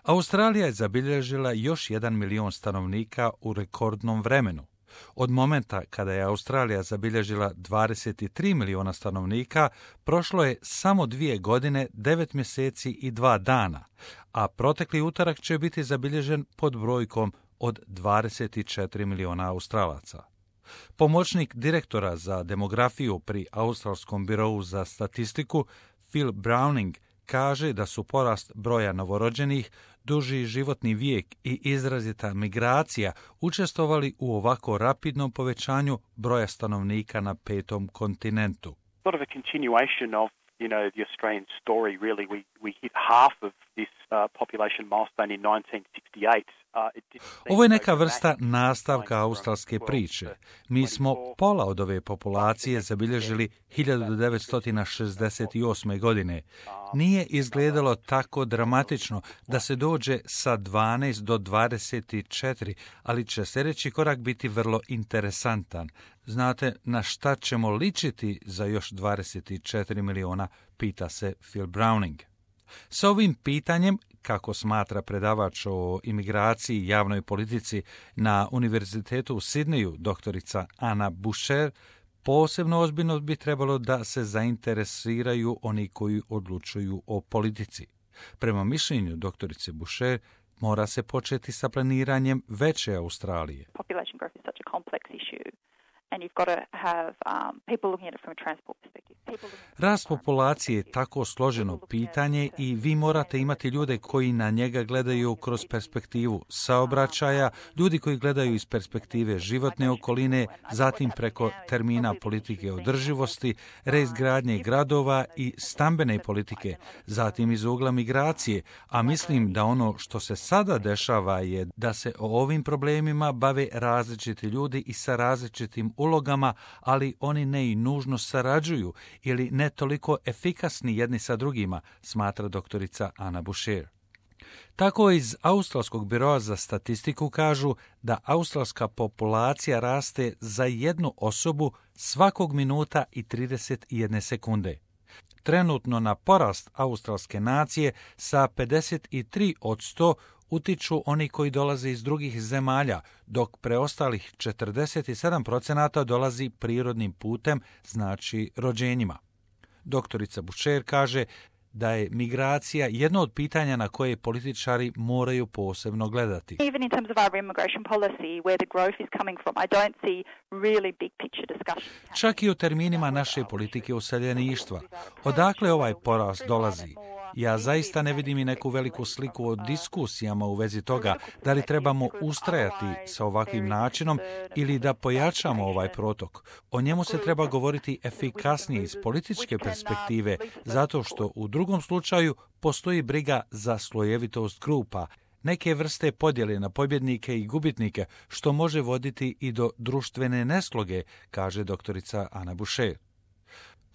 Australija je zabilježila još 1 milion stanovnika u rekordnom vremenu. Od momenta kada je Australija zabilježila 23 miliona stanovnika, prošlo je samo 2 godine, 9 mjeseci i 2 dana, a protekli utorak će biti zabilježen pod brojkom od 24 miliona Australaca. Pomoćnik direktora za demografiju pri Australskom birou za statistiku, Phil Browning, kaže da su porast broja novorođenih, duži životni vijek i izrazita migracija učestvovali u ovako rapidnom povećanju broja stanovnika na 5. kontinentu. Sort of a continuation of, the Australian story, really. We hit half of this population milestone in 1968. Ovo je neka vrsta nastavka australske priče. Mi smo pola od ove populacije zabilježili 1968. godine. Nije izgledalo tako dramatično da se dođe sa 12 do 24, ali će sljedeći korak biti vrlo interesantan. Znate na šta ćemo ličiti za još 24 miliona, pita se Phil Browning. S ovim pitanjem, kako smatra predavač o imigraciji i javnoj politici na Univerzitetu u Sidneju, doktorica Anna Boucher, posebno ozbiljno bi trebalo da se zainteresiraju oni koji odlučuju o politici. Prema mišljenju doktorice Boucher, mora se početi sa planiranjem veće Australije. Population growth is such a complex issue. And you've got to have people looking at it from a transport perspective. Rast populacije je tako složeno pitanje i vi morate imati ljude koji na njega gledaju kroz perspektivu saobraćaja, ljudi koji gledaju iz perspektive životne okoline, zatim preko termina politike održivosti, reizgradnje gradova i stambene politike, zatim iz ugla migracije, a mislim da ono što se sada dešava je da se o ovim problemima bave različiti ljudi i sa različitim ulogama, ali oni ne i nužno sarađuju ili ne toliko efikasni jedni sa drugima, smatra doktorica Anna Boucher. Tako iz Australskog biroa za statistiku kažu da australska populacija raste za jednu osobu svakog minuta i 31 sekunde. Trenutno na porast australske nacije sa 53 od 100 utiču oni koji dolaze iz drugih zemalja, dok preostalih 47% dolazi prirodnim putem, znači rođenjima. Doktorica Boucher kaže da je migracija jedno od pitanja na koje političari moraju posebno gledati. Even in terms of our immigration policy, where the growth is coming from, I don't see really big picture discussion. Čak i u terminima naše politike useljeništva. Odakle ovaj porast dolazi? Ja zaista ne vidim i neku veliku sliku o diskusijama u vezi toga da li trebamo ustrajati sa ovakvim načinom ili da pojačamo ovaj protok. O njemu se treba govoriti efikasnije iz političke perspektive, zato što u drugom slučaju postoji briga za slojevitost grupa, neke vrste podjele na pobjednike i gubitnike, što može voditi i do društvene nesloge, kaže doktorica Anna Boucher.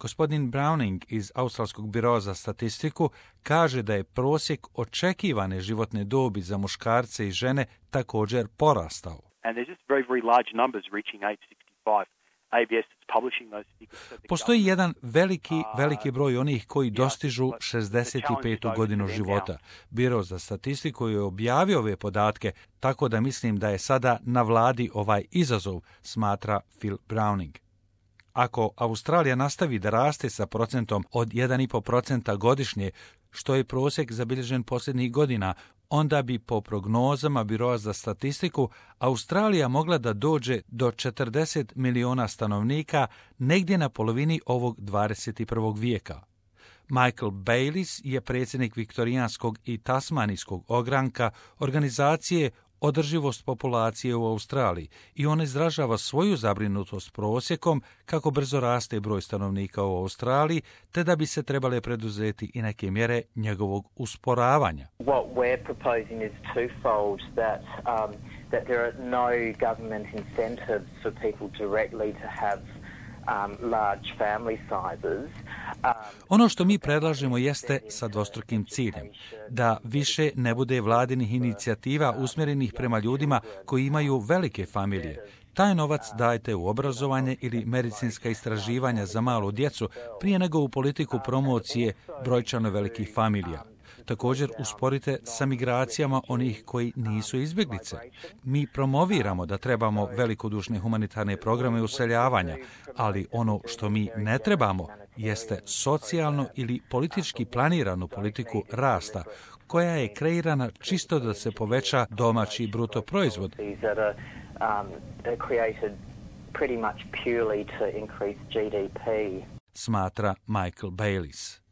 Gospodin Browning iz Australskog biroa za statistiku kaže da je prosjek očekivane životne dobi za muškarce i žene također porastao. Postoji jedan veliki broj onih koji dostižu 65. godinu života. Biro za statistiku je objavio ove podatke, tako da mislim da je sada na vladi ovaj izazov, smatra Phil Browning. Ako Australija nastavi da raste sa procentom od 1,5% godišnje, što je prosjek zabilježen posljednjih godina, onda bi po prognozama Biroa za statistiku Australija mogla da dođe do 40 miliona stanovnika negdje na polovini ovog 21. vijeka. Michael Bayliss je predsjednik viktorijanskog i tasmanijskog ogranka organizacije Održivost populacije u Australiji i on izražava svoju zabrinutost prosjekom kako brzo raste broj stanovnika u Australiji, te da bi se trebale preduzeti i neke mjere njegovog usporavanja. What we're proposing is twofold, that there are no government incentives for people directly to have large family sizes. Ono što mi predlažemo jeste sa dvostrukim ciljem, da više ne bude vladinih inicijativa usmjerenih prema ljudima koji imaju velike familije. Taj novac dajte u obrazovanje ili medicinska istraživanja za malu djecu prije nego u politiku promocije brojčano velikih familija. također usporite sa migracijama onih koji nisu izbjeglice. Mi promoviramo da trebamo velikodušne humanitarne programe useljavanja, ali ono što mi ne trebamo jeste socijalno ili politički planiranu politiku rasta, koja je kreirana čisto da se poveća domaći bruto proizvod. Smatra Michael Bayliss.